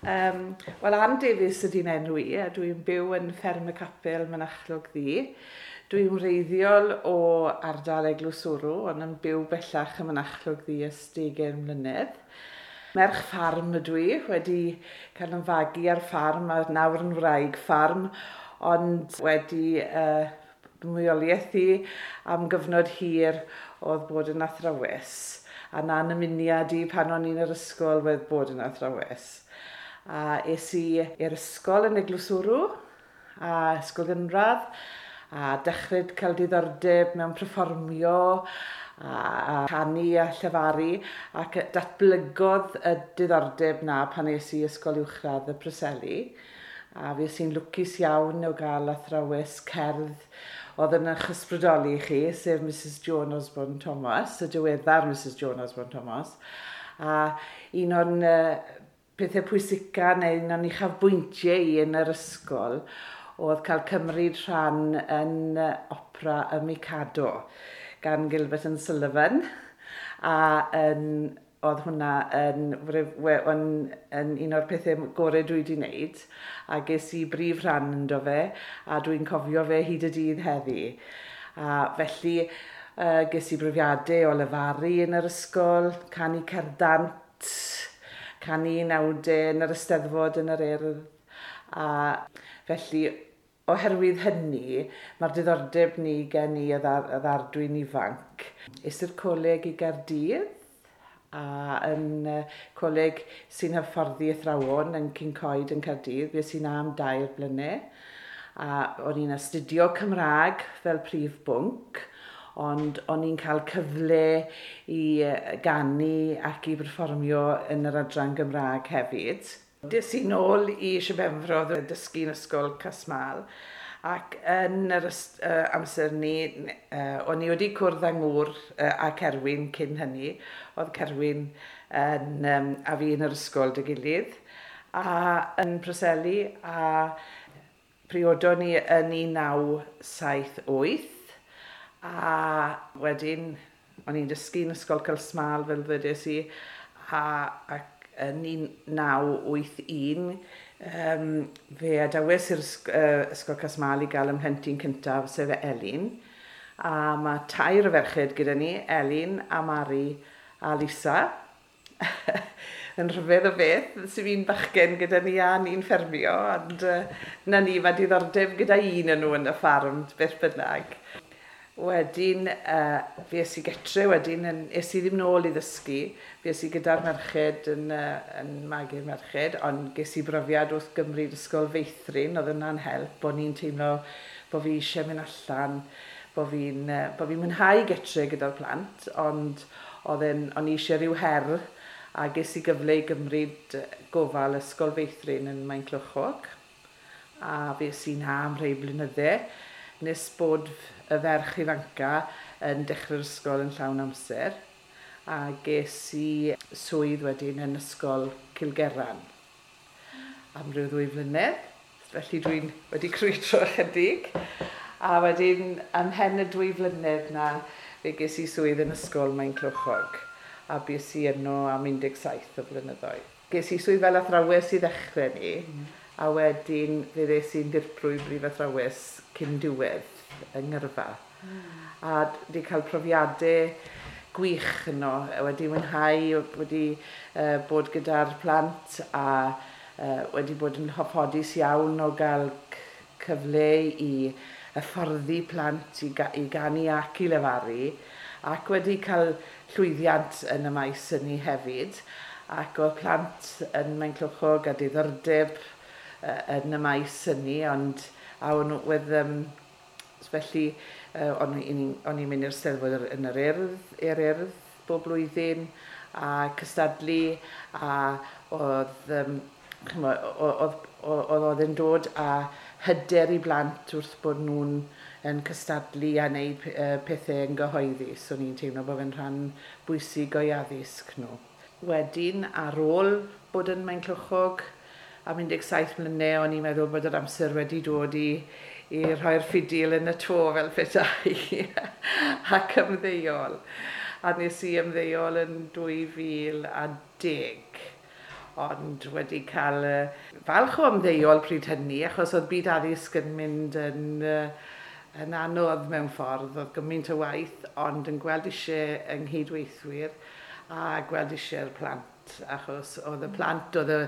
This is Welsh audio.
Wel, Ann Davies ydy'n enw i, a dwi'n byw yn Fferm y Capel, Mynachlog Ddu. Dwi'n wreiddiol o ardal Eglwyswrw, ond yn byw bellach ym Mynachlog Ddu ers 20 mlynedd. Merch ffarm ydw i, wedi cael yn fagu ar ffarm a nawr yn wraig ffarm, ond wedi mwyoliaeth i am gyfnod hir oedd bod yn athrawes. A na'n ymuniad i pan o'n i'n yr ysgol wedd bod yn athrawes. A es i i'r ysgol yn Eglwyswrw, a ysgol gynradd, a dechrau cael diddordeb mewn perfformio, a canu a llefaru, ac datblygodd y diddordeb na pan es i ysgol uwchradd y Preseli. A fi i'n lwcus iawn o gael athrawes cerdd oedd yn eich ysbrydoli chi, sef Mrs Joan Osborne Thomas, y diweddar Mrs Joan Osborne Thomas. A un o'n pethau pwysica neu un o'n uchafbwyntiau i yn yr ysgol oedd cael cymryd rhan yn opera y Mikado gan Gilbert and Sullivan. A oedd hwnna yn un o'r pethau gorau dwi wedi wneud, a ges i brif rhan ynddo fe, a dwi'n cofio fe hyd y dydd heddi. A felly ges i brofiadau o lefaru yn yr ysgol, canu cerddant, canu nawdau yn yr Eisteddfod yn yr Urdd, a felly oherwydd hynny, mae'r diddordeb ni gen i y ddardwy'n ifanc. Es i'r coleg i Gaerdydd, a yn coleg sy'n hyfforddi athrawon yn Cyncoed yn Caerdydd. Fues i'n am 2 blynedd. A o'n i'n astudio Cymraeg fel prif bwnc, ond o'n i'n cael cyfle i ganu ac i berfformio yn yr adran Gymraeg hefyd. Des i nôl i Sir Benfro dysgu yn ysgol Casmal, ac yn yr amser ni, o'n i wedi cwrdd â ngŵr a Cerwyn cyn hynny. Oedd Cerwyn yn, a fi yn yr ysgol dy gilydd, a yn Preseli, a priodon ni yn 1978, a wedyn o'n i'n dysgu yn ysgol Casmal fel dwedes i, ac yn 1981, fe adawes i'r ysgol Casmal i gael ymhlentyn cyntaf, sef Elin. A mae 3 o ferched gyda ni, Elin a Mari a Lisa. Yn rhyfedd o beth, sy'n fi'n bachgen gyda ni a ni'n ffermio, ond na ni, mae diddordeb gyda un yn nhw yn y ffarm, beth bynnag. Wedyn, fi es i getre wedyn, es i ddim nôl i ddysgu, fi es i gyda'r merched yn magu'r merched, ond ges i brofiad wrth gymryd ysgol feithrin, oedd yna'n help, bod ni'n teimlo bod fi eisiau mynd allan, bod fi'n mwynhau getre gyda'r plant, ond o'n i eisiau rhyw her, a ges i gyfle i gymryd gofal ysgol feithrin yn Maenclochog, a fi es i na am rhai blynydde, nes bod y ferch ifanca yn dechrau'r ysgol yn llawn amser, a ges i swydd wedyn yn ysgol Cilgeran am ryw 2 flynedd, felly dwi'n wedi crwydro ychydig, a wedyn ymhen y 2 flynedd na fe ges i swydd yn ysgol Maenclochog, a bues i yno am 17 o flynyddoedd. Ges i swydd fel athrawes i ddechrau ni, a wedyn fe ddes i'n ddirprwy brif athrawes cyn diwedd yng Ngyrfa. A wedi cael profiadau gwych yno, wedi mwynhau, wedi bod gyda'r plant a wedi bod yn hoffodus iawn o gael cyfle i hyfforddi plant i ganu ac i lefaru, ac wedi cael llwyddiant yn y maes hynny hefyd, ac oedd plant yn Maenclochog a diddordeb yn y maes hynny, ond a o'n wedd, felly o'n i'n mynd i'r Steddfod yn yr Urdd bob blwyddyn, a cystadlu, a oedd yn dod â hyder i blant wrth bod nhw'n yn cystadlu a wneud pethau yn gyhoeddus. O'n i'n teimlo bod fe'n rhan bwysig o'i addysg nhw. Wedyn, ar ôl bod yn Maenclochog am 17 mlynedd, o'n i'n meddwl bod yr amser wedi dod i rhoi'r ffidil yn y to fel petai ac ymddeol. A nes i ymddeol yn 2010. Ond wedi cael falch o ymddeol pryd hynny, achos oedd byd addysg yn mynd yn anodd mewn ffordd, oedd gymaint o waith, ond yn gweld eisiau yng nghydweithwyr a gweld eisiau'r plant, achos oedd y plant, oedd y